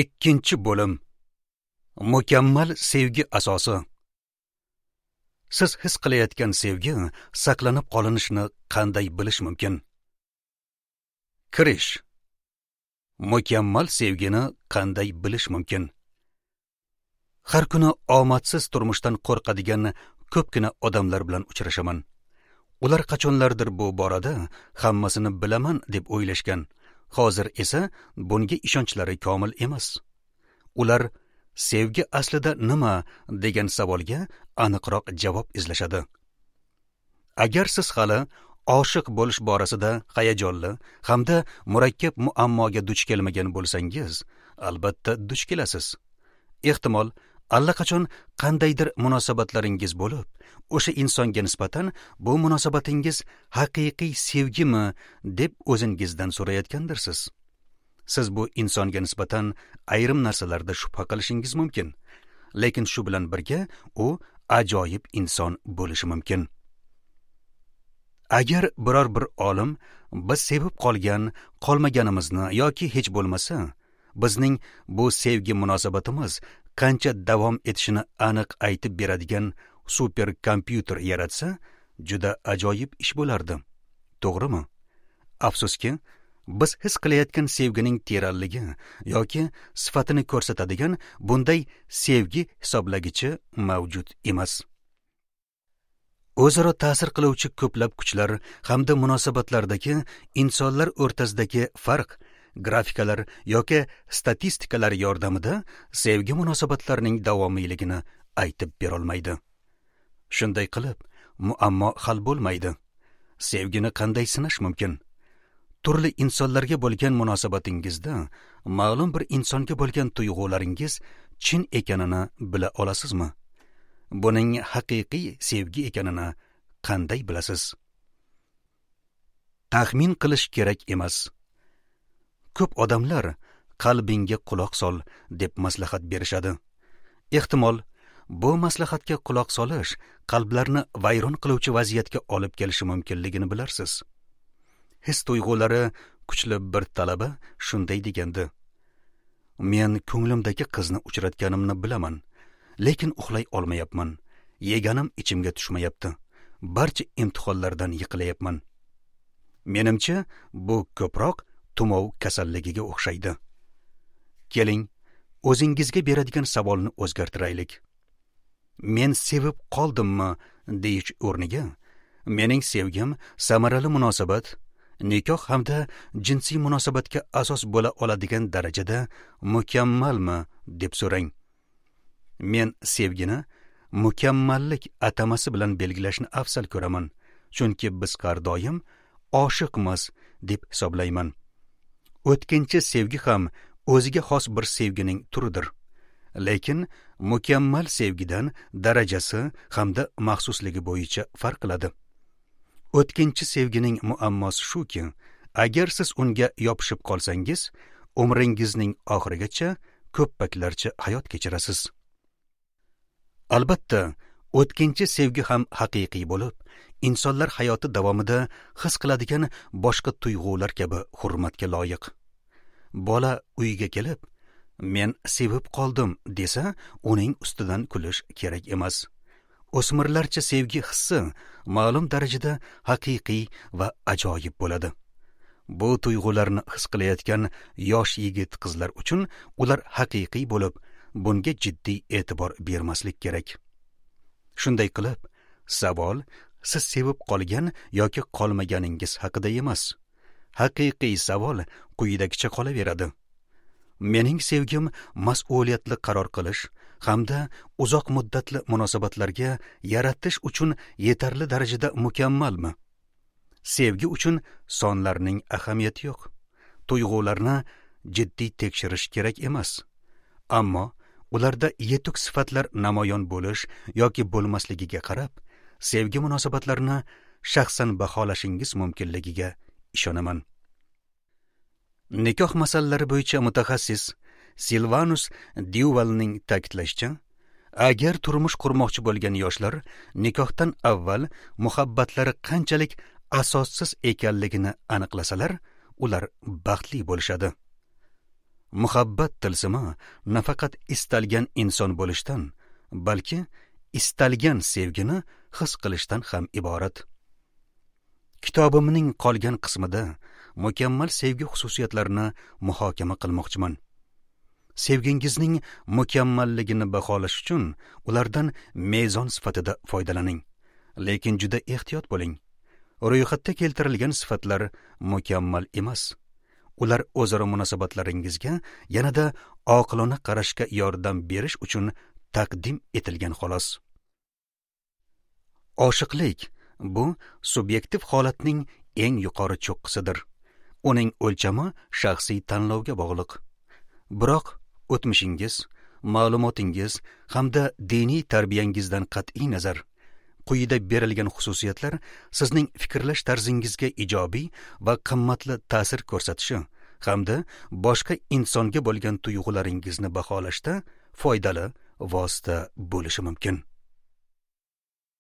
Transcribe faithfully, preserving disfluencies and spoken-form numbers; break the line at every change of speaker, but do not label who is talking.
Ikkinchi bo'lim. Mukammal sevgi asosi. Siz his qilayotgan sevgi saqlanib qolinishini qanday bilish mumkin? Kirish. Mukammal sevgini qanday bilish mumkin? Har kuni omadsiz turmushdan qo'rqadigan ko'pgina odamlar bilan uchrashaman. Ular qachonlardir bu borada hammasini bilaman deb o'ylashgan. Hozir esa bunga ishonchlari komil emas. Ular sevgi aslida nima degan savolga aniqroq javob izlashadi. Agar siz hali oshiq bo'lish borasida hayajonli hamda murakkab muammoga duch kelmagan bo'lsangiz, albatta duch kelasiz. Ehtimol, allaqachon qandaydir munosabatlaringiz bo'lib, o'sha insonga nisbatan bu munosabatingiz haqiqiy sevgimi deb o'zingizdan so'rayotgandirsiz. Siz bu insonga nisbatan ayrim narsalarda shubha qilishingiz mumkin, lekin shu bilan birga u ajoyib inson bo'lishi mumkin. Agar biror bir olim biz sevib qolgan, qolmaganimizni yoki hech bo'lmasa bizning bu sevgi munosabatimiz qancha davom etishini aniq aytib beradigan super kompyuter yaratsa, juda ajoyib ish bo'lardi. To'g'rimi? Afsuski, biz his qilayotgan sevgining teranligi yoki sifatini ko'rsatadigan bunday sevgi hisoblagichi mavjud emas. O'zaro ta'sir qiluvchi ko'plab kuchlar hamda munosabatlardagi insonlar o'rtasidagi farq grafikalar yoki statistikalar yordamida sevgi munosabatlarining davomiyligini aytib berolmaydi. Shunday qilib, muammo hal bo'lmaydi. Sevgini qanday sinash mumkin? Turli insonlarga bo'lgan munosabatingizda ma'lum bir insonga bo'lgan tuyg'ularingiz chin ekanini bila olasizmi? Buning haqiqiy sevgi ekanini qanday bilasiz? Taxmin qilish kerak emas. Ko'p odamlar qalbingga quloq sol deb maslahat berishadi. Ehtimol, bu maslahatga quloq solish qalblarni vayron qiluvchi vaziyatga olib kelishi mumkinligini bilarsiz. His tuyg'ulari kuchli bir talaba shunday degandi: Men ko'nglimdagi qizni uchratganimni bilaman, lekin uxlay olmayapman. Yeganim ichimga tushmayapti. Barcha imtihonlardan yiqilayapman. Menimcha, bu ko'proq tumov kasalligiga o'xshaydi. Keling, o'zingizga beradigan savolni o'zgartiraylik. Men sevib qoldimmi deyish o'rniga, mening sevgim samarali munosabat, nikoh hamda jinsiy munosabatga asos bo'la oladigan darajada mukammalmi deb so'rang. Men sevgini mukammallik atamasi bilan belgilashni afzal ko'raman, chunki biz har doim oshiqmiz deb hisoblayman. O'tkinchi sevgi ham o'ziga xos bir sevgining turidir. Lekin mukammal sevgidan darajasi hamda maxsusligi bo'yicha farq qiladi. O'tkinchi sevgining muammosi shuki, agar siz unga yopishib qolsangiz, umringizning oxirigacha ko'ppaklarcha hayot kechirasiz. Albatta, o'tkinchi sevgi ham haqiqiy bo'lib, insonlar hayoti davomida his qiladigan boshqa tuyg'ular kabi hurmatga loyiq. Bola uyga kelib, men sevib qoldim desa, uning ustidan kulish kerak emas. O'smirlarcha sevgi hissi ma'lum darajada haqiqiy va ajoyib bo'ladi. Bu tuyg'ularni his qilayotgan yosh yigit qizlar uchun ular haqiqiy bo'lib, bunga jiddiy e'tibor bermaslik kerak. Shunday qilib, savol siz sevib qolgan yoki qolmaganingiz haqida emas. Haqiqiy savol quyidagicha qolaveradi. Mening sevgim mas'uliyatli qaror qilish hamda uzoq muddatli munosabatlarga yaratish uchun yetarli darajada mukammalmi? Sevgi uchun sonlarning ahamiyati yo'q. Tuyg'ularni jiddiy tekshirish kerak emas. Ammo ularda yetuk sifatlar namoyon bo'lish yoki bo'lmasligiga qarab, sevgi munosabatlarini shaxsan baholashingiz mumkinligiga ishonaman. Nikoh masalalari bo'yicha mutaxassis Silvanus Dyuvalning ta'kidlashicha, agar turmush qurmoqchi bo'lgan yoshlar nikohdan avval muhabbatlari qanchalik asossiz ekanligini aniqlasalar, ular baxtli bo'lishadi. Muhabbat tilsimi nafaqat istalgan inson bo'lishdan, balki istalgan sevgini his qilishdan ham iborat. Kitobimning qolgan qismida mukammal sevgi xususiyatlarini muhokama qilmoqchiman. Sevgingizning mukammalligini baholash uchun ulardan mezon sifatida foydalaning. Lekin juda ehtiyot bo'ling. Ro'yxatda keltirilgan sifatlar mukammal emas. Ular o'zaro munosabatlaringizga yanada oqilona qarashga yordam berish uchun taqdim etilgan xolos. Oshiqlik bu subyektiv holatning eng yuqori cho'qqisidir. Uning o'lchami shaxsiy tanlovga bog'liq. Biroq o'tmishingiz, ma'lumotingiz hamda diniy tarbiyangizdan qat'iy nazar quyida berilgan xususiyatlar sizning fikrlash tarzingizga ijobiy va qimmatli ta'sir ko'rsatishi hamda boshqa insonga bo'lgan tuyg'ularingizni baholashda foydali vosita bo'lishi mumkin.